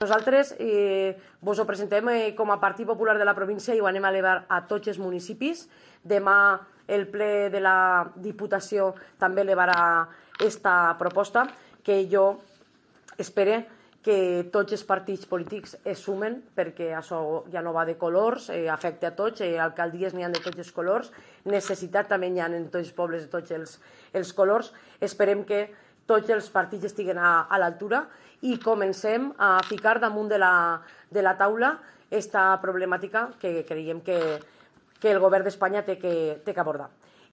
Nosaltres vos ho presentem com a Partit Popular de la província i ho anem a elevar a tots els municipis. Demà el ple de la Diputació també elevarà aquesta proposta, que jo espero que tots els partits polítics es sumen, perquè això ja no va de colors, afecta a tots, alcaldies n'hi ha de tots els colors, necessitat també n'hi ha en tots els pobles de tots els colors. Esperem que tots els partits estiguen a l'altura i comencem a ficar damunt de la taula aquesta problemàtica que creiem que el govern d'Espanya té que abordar.